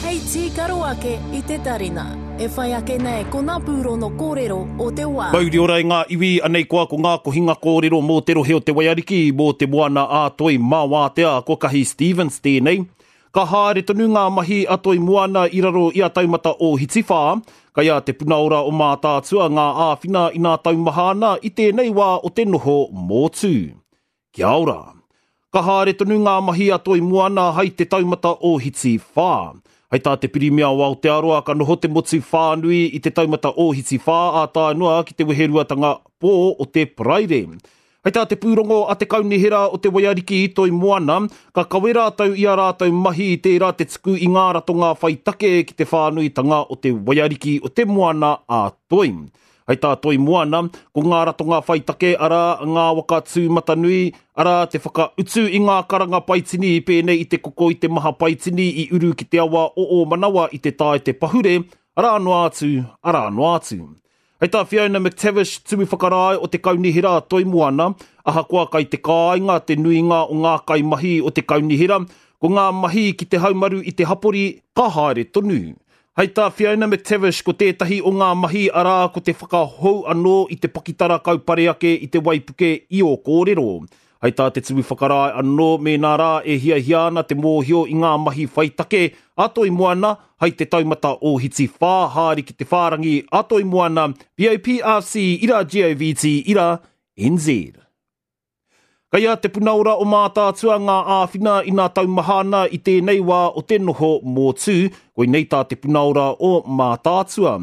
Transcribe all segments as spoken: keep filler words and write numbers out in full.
Hei tīkaro ake i te tarina. E whai ake nei ko ngā pūrono kōrero o te wā. Mauri ora i ngā iwi, anei koa ko ngā kohinga kōrero mō te rohe o te Waiariki, mō te moana a Toi Māwātea, ko Kahi Stevens tēnei. Ka haere tonu ngā mahi a Toi Moana i raro i a Taumata Ōhiti whā, kai a Te Puna Ora o Mātaatua ngā āwhina i nā taumaha ana i tēnei wā o te noho mōtū. Kia ora! Ka haere tonu ngā mahi a Toi Moana hai te Taumata Ōhiti whā. Hei tā te Pirimia o Aotearoa ka noho te motu whānui i te Taumata Ōhiti whā ā tae noa ki te weheruatanga pō o te Paraire. Hei tā te pūrongo a te Kaunihera o te Waiariki i Toi Moana, ka kawe rātou i a rātou mahi i tērā te tuku i ngā ratonga whai take ki te whānuitanga o te Waiariki o te Moana a Toi. Hei tā Toi Moana, ko ngā ratonga whai take arā ngā waka tūmatanui, arā te whakautu i ngā karanga paitini pēnei i te koko i te maha paitini i uru ki te awa o Ōmanawa i te tae te pahure, arā noa atu, arā noa atu. Hei tā Fiona McTavish, tumu whakarae o te Kaunihera Toi Moana, ahakoa kai te kāinga te nuinga o ngā kaimahi o te Kaunihera, ko ngā mahi ki te haumaru i te hapori ka haere tonu. Hei tā Fiona McTavish ko tētahi o ngā mahi arā ko te whakahou anō i te pakitara kaupare ake i te waipuke i ō kōrero. Hei tā te tumu whakarae anō mēnā rā e hiahia ana te mōhio i ngā mahi whai take a Toi Moana, hai te Taumata Ōhiti whā haere ki te whārangi a Toi Moana, B O P R C ira G O V T ira N Z. Kai a Te Puna Ora o Mātaatua ngā āwhina i nā taumaha ana i tēnei wā o te noho mōtū, koinei tā Te Puna Ora o Mātaatua.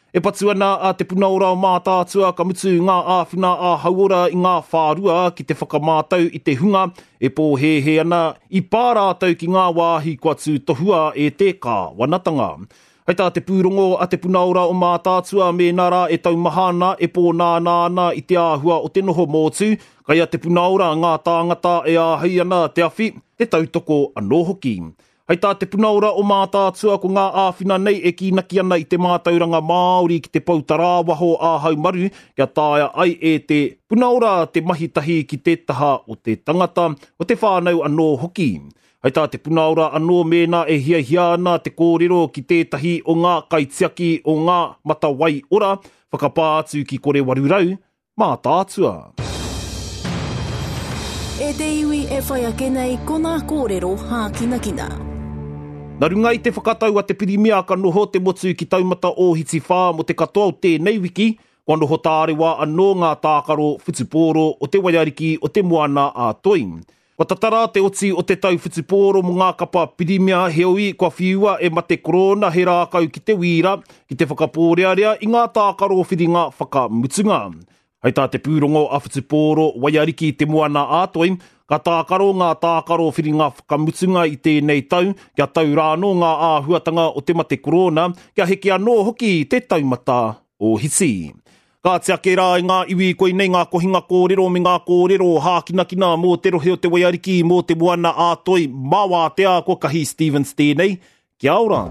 E patu ana a Te Puna Ora o Mātaatua ka mutu ngā āwhina a hauora i ngā whārua ki te whakamātau i te hunga e pōhēhē ana i pā rātou ki ngā wāhi kua tūtohua e te kāwanatanga. Hei tā te pūrongo a Te Puna Ora o Mātaatua mēnā rā e taumaha ana e pōnānā ana i te āhua o te noho mōtū, kai a Te Puna Ora ngā tāngata e āhei ana te awhi, te tautoko anō hoki. Hei tā Te Puna Ora o Mātaatua ko ngā āwhina nei e kīnaki ana i te mātauranga Māori ki te poutarāwaho ā-haumaru kia taea ai e Te Puna Ora te mahi tahi ki te taha o te tangata, o te whānau anō hoki. Hei tā Te Puna Ora anō mēnā e hiahia ana te kōrero ki tētahi o ngā kaitiaki o ngā matawai ora, whakapā atu ki kore waru rau, Mātaatua. E te iwi e whai ake nei ko ngā kōrero hākinakina. Nā runga i te whakatau a te Pirimia ka noho te motu ki Taumata Ōhiti whā mō te katoa o tēnei wiki, kua noho tārewa anō ngā tākaro whutupōro o te Waiariki o te Moana a Toi. Kua tatara te oti o te tau whutupōro mō ngā kapa Pirimia heoi kua whiua e mate korona he rākau ki te wīra, ki te whakapōrearea i ngā tākaro whiringa whakamutunga. Hei tā te pūrongo a whutupōro Waiariki te Moana a Toi, ka tākaro ngā tākaro whiringa whakamutunga i tēnei tau, kia tau rānō ngā āhuatanga o te mate korona, kia heke anō hoki te taumata ōhiti. Ka tiake rā i ngā iwi koinei ngā kohinga kōrero me ngā kōrero hākinakina mō te rohe o te Waiariki, mō te Moana a Toi, Māwātea, ko Kahi Stevens tēnei. Kia ora!